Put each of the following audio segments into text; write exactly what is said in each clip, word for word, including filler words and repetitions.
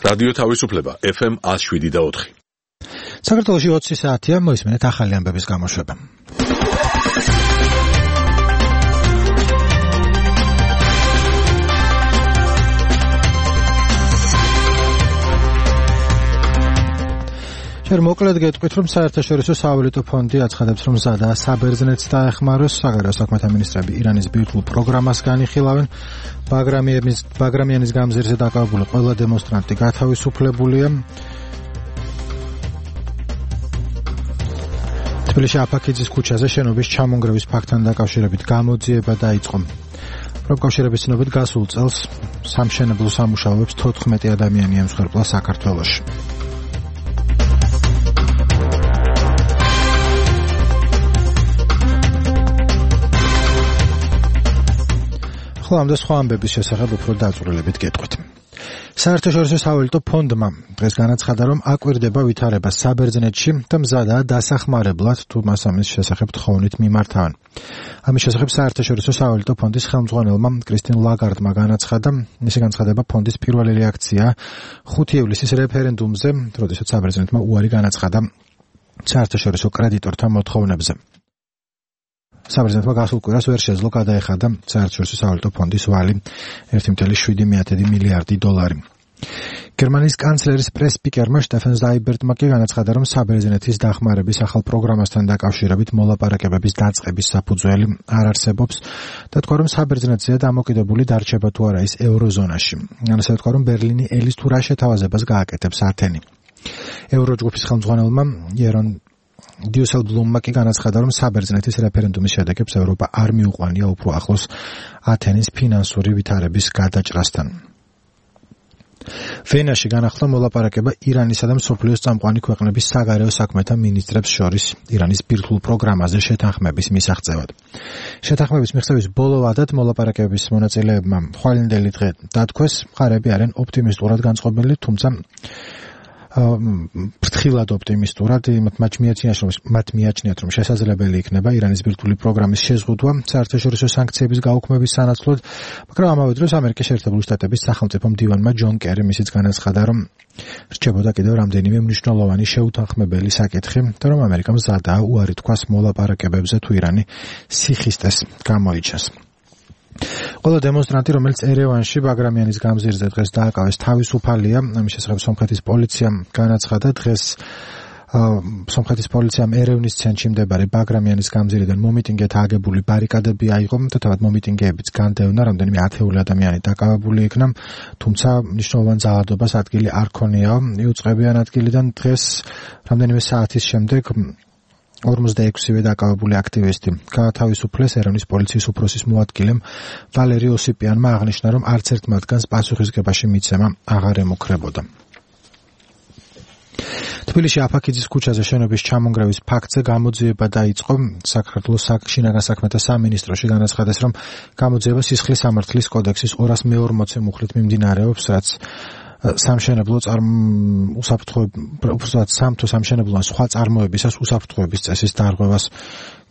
რადიო თავისუფლება ეფ ემ one oh seven point four. საქართველოში ოცი საათია, მოისმენთ ახალი ამბების გამოშვება. შენ მოკლედ გეტყვით, რომ საერთაშორისო სავალუტო ფონდი აცხადებს, რომ მზადაა საბერძნეთს დაეხმაროს. საგარეო საქმეთა მინისტრები ირანის ბირთვულ პროგრამას განიხილავენ. ბაგრამიანის გამზირზე დაკავებული ყველა დემონსტრანტი გათავისუფლებულია. თბილისში აფაქიძის ქუჩაზე შენობის ჩამონგრევის ფაქტთან დაკავშირებით გამოძიება დაიწყო. პროფკავშირების ცნობით გასულ წელს სამშენებლო სამუშაოებს თოთხმეტი ადამიანი ემსხვერპლა საქართველოში. ხოლო ამ და სხვა ამბების შესახებ უფრო დაწვრილებით გეტყვით. საერთაშორისო სავალუტო ფონდმა დღეს განაცხადა, რომ აკვირდება ვითარება საბერძნეთში და მზადაა დასახმარებლად, თუ მას ამის შესახებ თხოვნით მიმართავენ. ამის შესახებ საერთაშორისო სავალუტო ფონდის ხელმძღვანელმა კრისტინ ლაგარდმა განაცხადა, მისი განცხადება ფონდის პირველი რეაქცია ხუთი ივლისის რეფერენდუმზე, როდესაც საბერძნეთმა უარი განაცხადა საერთაშორისო კრედიტორთა მოთხოვნებზე. საბერძნეთმა გასულ კვირას ვერ შეძლო გადაეხადა საერთაშორისო სავალუტო ფონდის ვალი ერთი წუთი შვიდი მილიარდი დოლარი. გერმანიის კანცლერის პრეს-სპიკერმა შტეფენ ზაიბერტმა კი განაცხადა, რომ საბერძნეთის დახმარების ახალ პროგრამასთან დაკავშირებით მოლაპარაკებების დაწყების საფუძველი არ არსებობს და თქვა, რომ საბერძნეთზეა დამოკიდებული დარჩება თუ არა ის ევროზონაში. განასადა თქვა, რომ ბერლინი ელის თუ რა შეთავაზებას გააკეთებს ათენი. ევროჯგუფის ხელმძღვანელმა იერონ დიუსელბლუმმა კი განაცხადა, რომ საბერძნეთის რეფერენდუმის შედეგებს ევროპა არ მიუყვანია უფრო ახლოს ათენის ფინანსური ვითარების გადაჭრასთან. ვენაში განახლდა მოლაპარაკება ირანისა და მსოფლიოს წამყვანი ქვეყნების საგარეო საქმეთა მინისტრებს შორის ირანის ბირთვულ პროგრამაზე შეთანხმების მისაღწევად. შეთანხმების მიღწევის ბოლო ვადად მოლაპარაკებების მონაწილეებმა ხვალინდელი დღე დათქვეს, მხარეები არიან ოპტიმისტურად განწყობილი, თუმცა ფრთხილად ოპტიმისტურად მათ მიაჩნიათ, რომ შესაძლებელი იქნება ირანის ბირთვული პროგრამის შეზღუდვა საერთაშორისო სანქციების გაუქმების სანაცვლოდ, მაგრამ ამავე დროს ამერიკის შეერთებული შტატების სახელმწიფო მდივანმა ჯონ კერიმ ისიც განაცხადა, რომ რჩებოდა კიდევ რამდენიმე მნიშვნელოვანი შეუთანხმებელი საკითხი და რომ ამერიკა მზადაა უარი თქვას მოლაპარაკებებზე, თუ ირანი სიხისტეს გამოიჩენს. ყველა დემონსტრანტი, რომელიც ერევანში ბაგრამიანის გამზირზე დღეს დააკავეს, თავისუფალია. ამის შესახებ სომხეთის პოლიციამ განაცხადა, დღეს სომხეთის პოლიციამ ერევნის ცენტრში მდებარე ბაგრამიანის გამზირიდან მომიტინგეთა აგებული ბარიკადები აიღო და თავად მომიტინგეებიც განდევნა, რამდენიმე ათეული ადამიანი დაკავებული იქნა, თუმცა მნიშვნელოვან ძალადობას ადგილი არ ქონიაო. იუწყებიან ადგილიდან დღეს რამდენიმე საათის შემდეგ ორმოცდაექვსივე დაკავებული აქტივისტი გაათავისუფლეს. ერევნის პოლიციის უფროსის მოადგილემ ვალერი ოსიპიანმა აღნიშნა, რომ არც ერთ მათგანს პასუხისგებაში მიცემა აღარ ემუქრებოდა. თბილისში აფაქიძის ქუჩაზე შენობის ჩამონგრევის ფაქტზე გამოძიება დაიწყო. საქართველოს შინაგან საქმეთა სამინისტროში განაცხადეს, რომ გამოძიება სისხლის სამართლის კოდექსის ორას მეორმოცე მუხლით მიმდინარეობს, რაც სამშენებლო უსაფრთხოების სამთო სამშენებლო ან სხვა წარმოებისას უსაფრთხოების წესის დარღვევას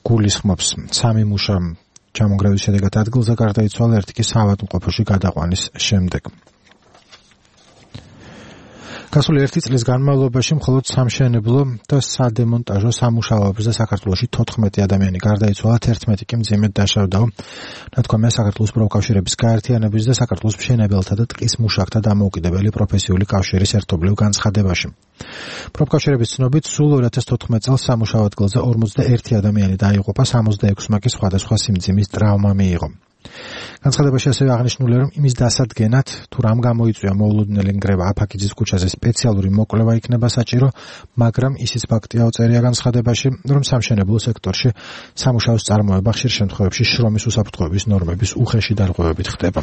გულისხმობს. სამი მუშა ჩამონგრევის შედეგად ადგილზე გარდაიცვალა, ერთი კი საავადმყოფოში გადაყვანის შემდეგ. გასული ერთი წლის განმავლობაში მხოლოდ სამშენებლო და სადემონტაჟო სამუშაოებზე საქართველოში თოთხმეტი ადამიანი გარდაიცვალა, თერთმეტი კი მძიმედ დაშავდა. ნათქვამია საქართველოს პროფკავშირების გაერთიანების და საქართველოს მშენებელთა და ტყის მუშაკთა დამოუკიდებელი პროფესიული კავშირის ერთობლივ განცხადებაში. პროფკავშირების ცნობით, სულ ორი ათას თოთხმეტ წელს სამუშაო ადგილზე ორმოცდაერთი ადამიანი დაიღუპა, სამოცდაექვსმა კი სხვადასხვა სიმძიმის ტრავმა მიიღო. განცხადებაში ასევე აღნიშნულია, რომ იმის დასადგენად, თუ რამ გამოიწვია მოულოდნელი ნგრევა აფაქიძის ქუჩაზე, სპეციალური მოკვლევა იქნება საჭირო, მაგრამ ისიც ფაქტია უწერია განცხადებაში, რომ სამშენებლო სექტორში სამუშაოს წარმოება ხშირ შემთხვევებში შრომის უსაფრთხოების ნორმების უხეში დარღვევებით ხდება.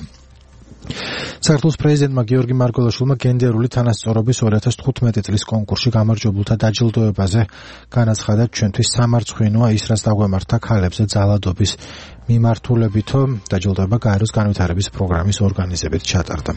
საქართველოს პრეზიდენტმა გიორგი მარგველაშვილმა გენდერული თანასწორობის ორი ათას თხუთმეტი წლის კონკურსში გამარჯვებულთა დაჯილდოებაზე განაცხადა, ჩვენთვის სამარცხვინოა ის, რაც დაგვემართა ქალებზე ძალადობის მიმართულებითო. დაჯილდოება გაეროს განვითარების პროგრამის ორგანიზებით ჩატარდა.